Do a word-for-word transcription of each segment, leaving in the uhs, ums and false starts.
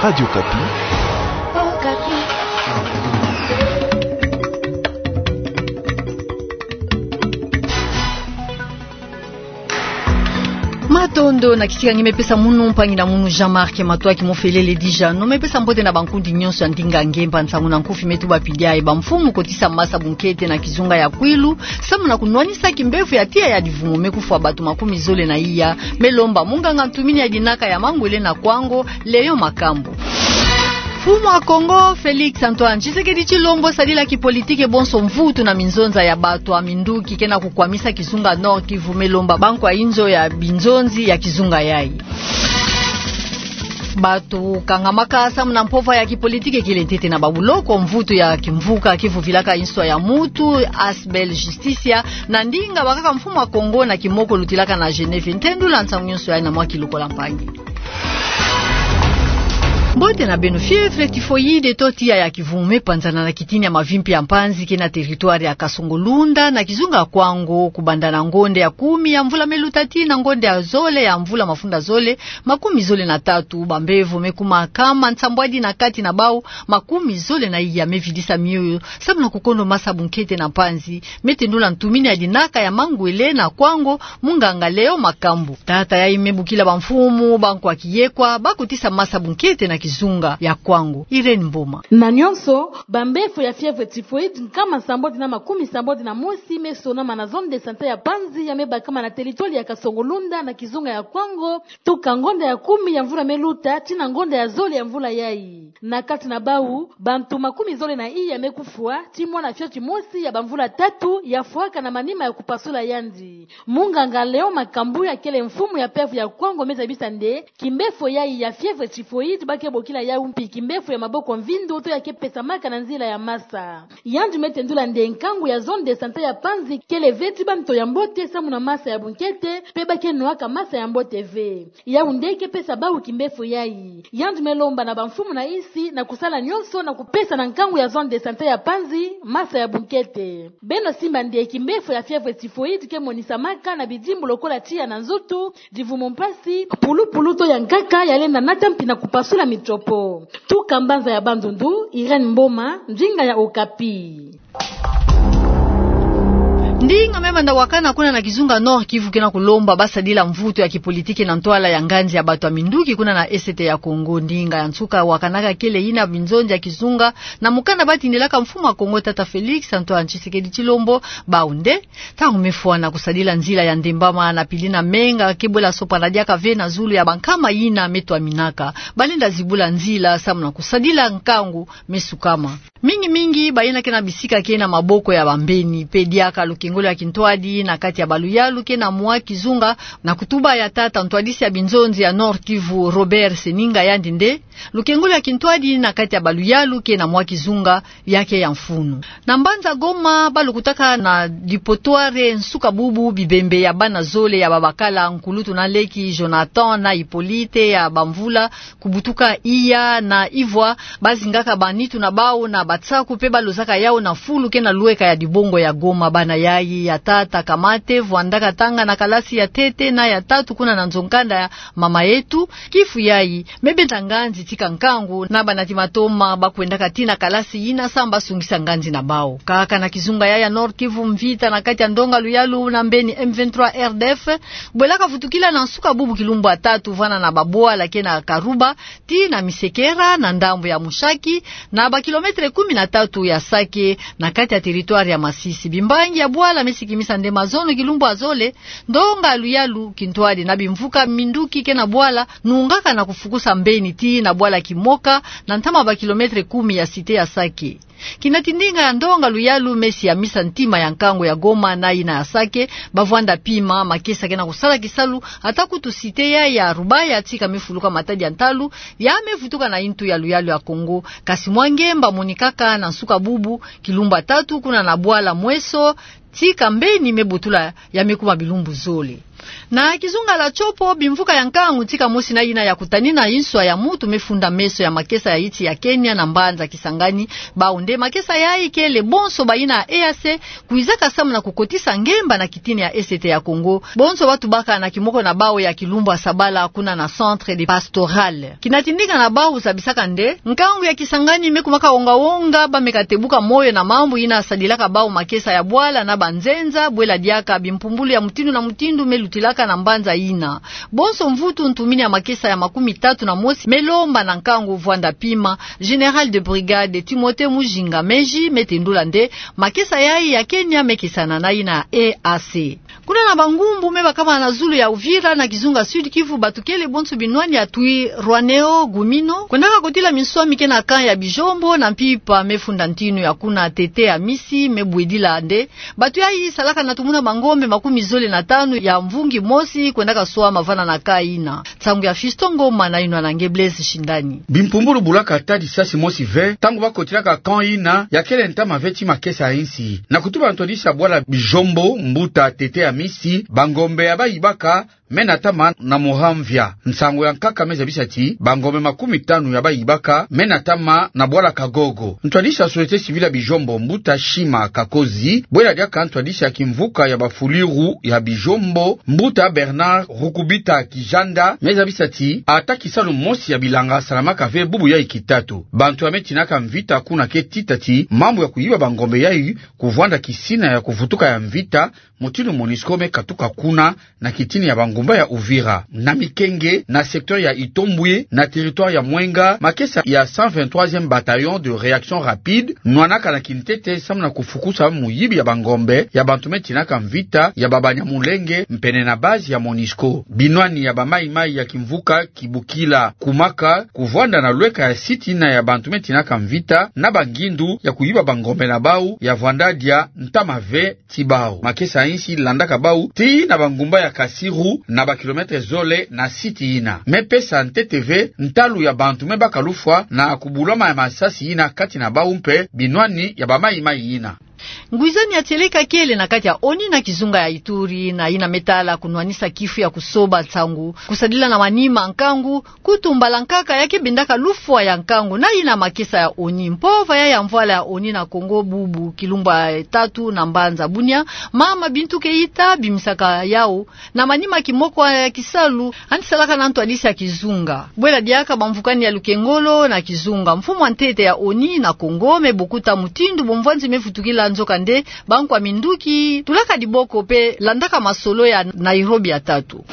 Radio Okapi. Matondo na kisik'angi me pesa munu, mpangi na munu Jean-Marc Matoaki Mofelele Dijano, me pesa mbote na bankundi nyonso ya ndinga ngemba nsangu na nkufi me tuba pidi aye. Bamfumu kotisa masa bunkete na kizunga ya Kwilu, samu na kunwanisa kimbevo ya tiya ya divumu me kufwa bato makumi zole na iya, me lomba munganga ntumini ya dinaka ya mangwele na kwango, Léon Makambu. Mfumu wa Kongo, Félix Antoine Tshisekedi Tshilombo, sadila kipolitiki bonso mvutu na minzonza ya bato ya minduki ke na kukwamisa kizunga Nord-Kivu, me lomba bankwa inzo ya binzonzi ya kizunga yayi. Bato kangamaka samu na mpova ya kipolitiki kele ntete na babuloko, mvutu ya kimvuka kivuvilaka inswa ya mutu, Asbl Justicia, na ndinga bakaka mfumu wa Kongo na kimoko lutilaka na Genève. Ntendula nsangu nyonso yayi na mwa kilokola mpangi. Mbote na beno. Fièvre typhoïde to tiya ya kivumu me panzana na kitini ya mavimpi ya mpanzi ke na territoire ya Kasongo-Lunda na kizunga ya Kwango, kubanda na ngonde ya kumi ya mvula me luta tii na ngonde ya zole ya mvula mafunda zole makumi zole na tatu. Bambevo me kuma kama nsambwadi na kati na bau makumi zole na iya me vidisa mioyo, samu na kukondo masa bunkete na mpanzi, me tendula ntumini ya dinaka ya mangwele na Kwango, munganga Léon Makambu. Tata yayi me bokila bamfumu bankwa kiyekwa bakotisa masa bunkete na kizunga ya Kwango. Irène Mboma. Na nyonso, bambevo ya fièvre typhoïde nkama sambodi na makumi sambodi na mosi me sonama na zone de santé ya mpanzi ya me bakama na territoire ya Kasongo-Lunda na kizunga ya Kwango, tuka ngonda ya kumi ya mvula me luta tii na ngonda ya zole ya mvula yayi. Na kati na bau, bantu makumi zole na iya me kufwa, tii mwana fioti mosi ya bamvula tatu ya fwaka na manima ya kupasula yandi. Munganga Léon Makambu, ya kele mfumu ya P V ya Kwango, me zabisa nde kimbevo yayi ya fièvre typhoïde ba ke bokila yau mpi kimbevo ya maboko mvindo to ya ke pesamaka na nzila ya masa. Yandi me tendula nde nkangu ya zone de santé ya mpanzi kele ve ti banto ya mbote samu na masa ya bunkete, mpe ba ke nwaka masa ya mbote ve. Yau nde ke pesa bau kimbevo yayi. Yandi me lomba na bamfumu na insi na kusala nyonso na kupesa na nkangu ya zone de santé ya mpanzi masa ya bunkete. Beno simba nde kimbevo ya fièvre typhoïde ke monisamaka na bidimbu lokola tiya na nzutu, divumu mpasi, pulupulu to ya nkaka ya lenda nata mpi na kupasula mitopo. Tuka mbanza ya Bandundu, Irène Mboma, ndinga ya Okapi. Ndinga me manda wakana kuna na kizunga Nord-Kivu ke na kulomba basadila mvutu ya kipolitiki na ntwala ya nganzi ya bato ya minduki kuna na Est ya Kongo. Ndinga ya nsuka wakanaka kele yina binzonzi ya kizunga na mukanda batindilaka mfumu wa Kongo, tata Félix Antoine Tshisekedi Tshilombo. Bau nde, ntangu me fwana kusadila nzila ya ndembama na pili na menga, ke bwela sopana diaka ve na zulu ya bankama yina me twaminaka. Ba lenda zibula nzila samu na kusadila nkangu me sukama. Mingi mingi bayina ke na bisika ke na maboko ya bambeni, mpe diaka lukengolo ya kintwadi na kati ya baluyalu ke na mwa kizunga, na kutuba ya tata ntwadisi ya binzonzi ya Nord-Kivu, Robert Seninga, yandi nde, lukengolo ya kintwadi na kati ya baluyalu ke na mwa kizunga ya ke ya mfunu. Na mbanza Goma, balukutaka na dipotware nsuka bubu bibembe ya bana zole ya babakala, nkulutu na leki, Jonathan na Hippolyte, ya bamvula kubutuka iya na ivwa, bazingaka banitu na bau na batsaku mpe balozaka yau na fulu ke na lweka ya dibongo ya Goma. Bana yayi ya tata Kamate vwandaka tanga na kalasi ya ntete na ya tatu kuna na nzo-nkanda ya Mama Yetu. Kifu yayi me benda nganzi tika nkangu na banati matoma ba kwendaka tii na kalasi yina samu ba sungisa nganzi na bau. Kaka na kizunga yayi ya Nord-Kivu, mvita na kati ya ndonga luyalu na mbeni M vingt-trois R D F bwelaka vutukila na nsuka bubu kilumbu ya tatu vana na babwala ke na Karuba tii na Misekera na ndambu ya Mushaki, na bakilometre kumi na tatu ya Sake, na kati ya territoire ya Masisi. Bimbangi ya bwala me sikimisa nde mazono kilumbu ya zole, ndonga luyalu, kintwadi na bimvuka minduki ke na bwala nungaka na kufukusa mbeni tii na bwala Kimoka, na ntama bakilometre kumi ya cité ya Sake. Kinati ndinga ya ndonga luyalu me siamisa ntima ya nkangu ya Goma na yina ya Sake, bavwanda pima makesa ke na kusala kisalu, ata kutu cité ya, ya Rubaya tika me fuluka matadi ya ntalu, ya me vutuka na yintu ya luyalu ya Kongo. Kasi mwa ngemba monikaka na nsuka bubu kilumbu ya tatu kuna na bwala Mweso, tika mbeni me butula ya me kuma bilumbu zole. Na kizunga la Tshopo, bimvuka ya nkangu tika mosi na yina ya kutanina inswa ya mutu me funda meso ya makesa ya iti ya Kenya na mbanza Kisangani. Bau nde makesa yayi kele bonso bayina E A C kwizaka samu na kukotisa ngemba na kitini ya Est ya Congo, bonso batubaka na kimoko na bau ya Kilumbu Sabala kuna na Centre de Pastoral. Kina tindika na bau zabisaka nde nkangu ya Kisangani me kumaka wonga-wonga, ba me katebuka moyo na mambu yina sadilaka bau makesa ya bwala na banzenza, bwela diaka bimpumbulu ya mutindu na mutindu me lutilaka na mbanza yina. Bonso mvutu ntumini ya makesa ya makumi tatu na mosi me lomba na nkangu Vwanda Pima, général de brigade Timothée Mujinga Meji me tendula nde makesa yayi ya Kenya me kesana na yina ya E A C. Kuna na bangumbu me bakama na zulu ya Uvira na kizunga Sud-Kivu, batukele bonso binwani ya Twirwaneho Gumino kwendaka kotila minswami ke na camp ya Bijombo na mpimpa me funda ntinu ya kuna Tete Amisi me bwedila nde batu yayi salaka na tumuna mangombe makumi zole na tanu ya mvungi mosi kwendaka swama vana na camp yina. Nsangu ya Fiston Ngoma na yinwa na nge Blaise Shindani. Bimpumbulu bulaka ata lisasi mosi ve ntangu bakotilaka camp yina ya kele ntama ve ti makesa ya insi. Na kutuba ntwadisi ya bwala Bijombo, mbuta Tete Amisi, bangombe ya bayibaka me natama na muramvia. Nsangu ya nkaka me zabisa ti bangombe makumi tanu ya bayibaka me natama na bwala Kagogo. Ntwadisi ya société civile ya Bijombo, mbuta Shima Kakozi, bwela diaka ntwadisi ya kimvuka ya bafuliru ya Bijombo, mbuta Bernard Rukubita Kijanda, me zabisa ti ata kisalu mosi ya bilanga salamaka ve bubu yayi kitatu. Bantu ya me tinaka mvita kuna ke tita ti mambu ya kuyiba bangombe yayi kuvwanda kisina ya kuvutuka ya mvita, mutindu MONUSCO me katuka kuna na kitini ya bangumba ya Uvira, na Mikenge, na secteur ya Itombwe, na territoire ya Mwenga, makesa ya cent vingt-troisième bataillon de réaction rapide nwanaka na kintete samu na kufukusa muyibi ya bangombe ya bantu me tinaka mvita ya ba Banyamulenge mpene na base ya MONUSCO. Binwani ya ba Maï-Maï ya kimvuka Kibukila kumaka kuvwanda na lweka ya site yina ya bantu me tinaka mvita na bangindu ya kuyiba bangombe na bau ya vwanda dia ntama ve ti bau. Makesa ya insi landaka bau tii na bangumba ya Kasiru, na ba kilomètre zole na site yina. Me pesa ntete ve ntalu ya bantu me baka lufwa na kubulama ya masasi yina kati na bau mpe binwani ya ba Maï-Maï yina. Ngwizani ya tieleka kele na kati ya ONU na kizunga ya Ituri, na yina me tala kunwanisa kifu ya kusoba nsangu, kusadila na manima nkangu, kutu mbala nkaka ya ke bendaka lufwa ya nkangu na yina makesa ya ONU. Mpova ya ya mvwala ya ONU na Congo bubu kilumbu ya tatu na mbanza Bunia, mama Bintou Keita bimisaka yau na manima kimoko ya kisalu yandi salaka na ntwadisi ya kizunga. Bwela diaka bamvukani ya lukengolo na kizunga, mfumu wa ntete ya ONU na Congo me bokuta mutindu bomvwanzi me vutukila, nzoka nde bankwa minduki tulaka diboko mpe landaka masolo ya Nairobi ya tatu.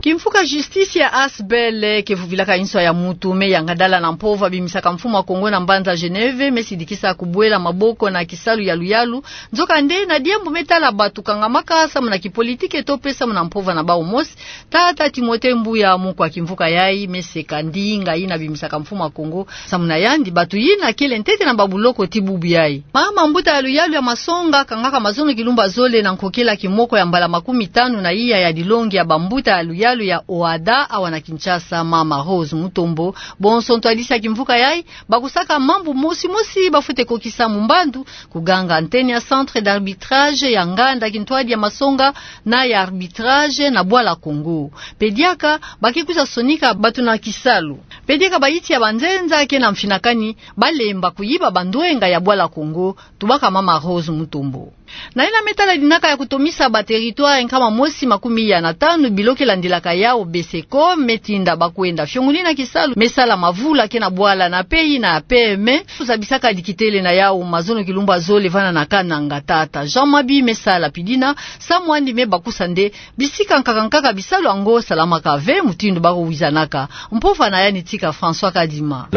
Kimvuka justice ya Asbl ke vuvilaka inswa ya mutu me yangadala na mpova bimisaka mfumu wa Congo na mbanza Genève me sidikisa kubwela maboko na kisalu ya luyalu. Nzoka nde na diambu me tala batu kangamaka samu na kipolitike to mpe samu na mpova na bau mosi, tata Timothée Mbuya, moko wa kimvuka yayi, me seka ndinga yina bimisaka mfumu wa Congo samu na yandi batu yina kele ntete na babuloko ti bubu yayi. Mama mbuta ya luyalu ya Masonga kangaka mazono kilumbu ya zole na nkokila kimoko ya mbala makumi tanu na iya ya dilongi ya bambuta ya luyalu ya OHADA awa na Kinshasa, mama Rose Mutombo. Bonso ntwadisi ya kimvuka yayi bakusaka mambu mosi-mosi bafwete kokisa mu mbandu, kuganga antenne ya centre d'arbitrage ya nganda kintwadi ya Masonga na ya arbitrage na bwala Congo. Mpe diaka ba ke kwiza sonika batu na kisalu. Mpe diaka bayiti ya banzenza ke na mfinakani balemba kuyiba bandwenga ya bwala Congo, tubaka mama Rose Mutombo. Na yina me tala dinaka ya kutomisa ba territoire nkama mosi makumi iya na tanu bilo ke landilaka yau BCECO, me tinda ba kwenda fiongunina kisalu me sala mavula ke na bwala na pays na PME, zabisaka dikitele na yau mazono kilumbu ya zole vana na Kananga. Tata Jean Mabi me sala pidina, samu andi me bakusa nde bisika nkaka-nkaka bisalu yango salamaka ve mutindu ba ko wizanaka. Mpova na yandi tika François Kadima.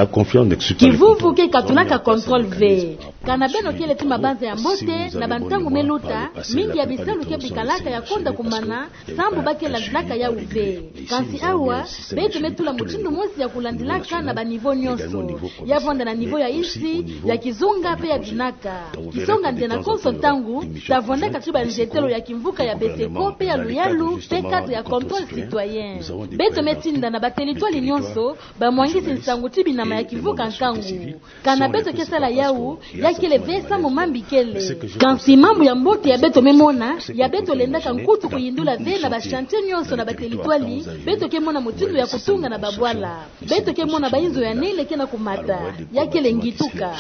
Kivuvu ke katulaka contrôle ve. Kana beno kele ti mabanza ya mbote, na bantangu me luta, mingi ya bisalu ke bikalaka ya konda kumana, sambu ba ke landilaka yau ve. Kansi awa, beto me tula mutindu mosi ya kulandilaka na ba niveau nyonso. Ya vwanda na niveau ya insi, ya kizunga mpe ya dinaka. Kisonga nde na konso ntangu, ta vwandaka ti banzetelo ya kimvuka ya BCECO mpe ya luyalu, mpe cadre ya contrôle citoyen. Beto me tinda na ba territoire nyonso, bamwangisi nsangu ti binama ya kimvuka nkangu. Kana beto ke sala yau, ya kele ve samu mambi kele. Kansi Mambu ya mbote ya beto me mona, ya beto lendaka nkutu kuyindula ve na ba chantier nyonso na ba territoire, beto ke mona mutindu ya kutunga na babwala. Beto ke mona ba inzo ya nene ke na kumata, ya kele ngituka.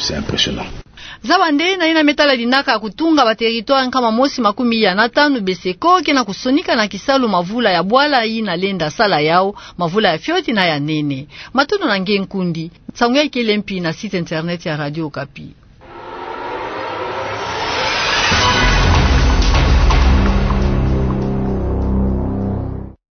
Zaba nde na yina me tala dinaka ya kutunga ba territoire nkama mosi makumi ya na tanu BCECO ke na kusonika na kisalu mavula ya bwala yina lenda sala yau, mavula ya fioti na ya nene. Matondo na nge nkundi. Nsangu ya kele mpi na site internet ya Radio Okapi.